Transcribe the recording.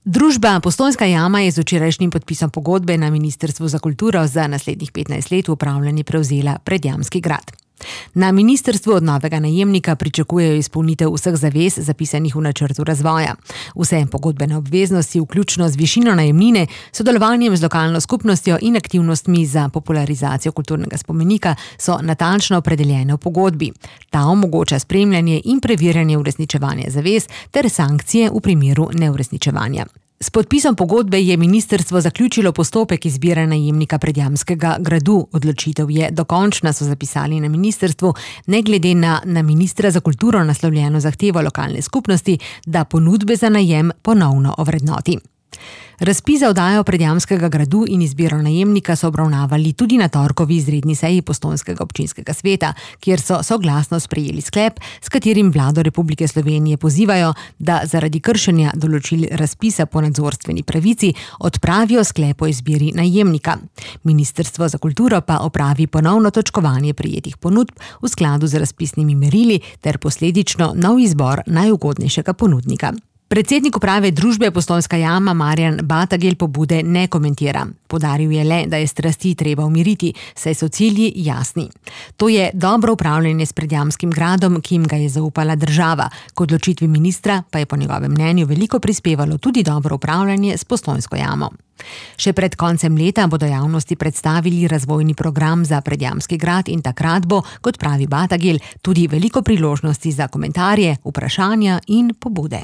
Družba Postojnska jama je z včerajšnjim podpisom pogodbe na Ministrstvu za kulturo za naslednjih 15 let v upravljanje prevzela Predjamski grad. Na ministrstvu od novega najemnika pričakujejo izpolnitev vseh zavez zapisanih v načrtu razvoja. Vse pogodbene obveznosti, vključno z višino najemnine, sodelovanjem z lokalno skupnostjo in aktivnostmi za popularizacijo kulturnega spomenika so natančno opredeljene v pogodbi. Ta omogoča spremljanje in preverjanje uresničevanja zavez ter sankcije v primeru neuresničevanja. S podpisom pogodbe je ministrstvo zaključilo postopek izbire najemnika Predjamskega gradu. Odločitev je dokončna, so zapisali na ministrstvu, ne glede na ministra za kulturo naslovljeno zahtevo lokalne skupnosti, da ponudbe za najem ponovno ovrednoti. Razpis za oddajo Predjamskega gradu in izbiro najemnika so obravnavali tudi na torkovi izredni seji Postojnskega občinskega sveta, kjer so soglasno sprejeli sklep, s katerim vlado Republike Slovenije pozivajo, da zaradi kršenja določil razpisa po nadzorstveni pravici odpravijo sklep o izbiri najemnika. Ministrstvo za kulturo pa opravi ponovno točkovanje prejetih ponudb v skladu z razpisnimi merili ter posledično nov izbor najugodnejšega ponudnika. Predsednik uprave družbe Postojnska jama Marjan Batagel pobude ne komentira. Poudaril je le, da je strasti treba umiriti, saj so cilji jasni. To je dobro upravljanje s Predjamskim gradom, ki jim ga je zaupala država. K odločitvi ministra pa je po njegovem mnenju veliko prispevalo tudi dobro upravljanje s Postojnsko jamo. Še pred koncem leta bodo javnosti predstavili razvojni program za Predjamski grad in takrat bo, kot pravi Batagel, tudi veliko priložnosti za komentarje, vprašanja in pobude.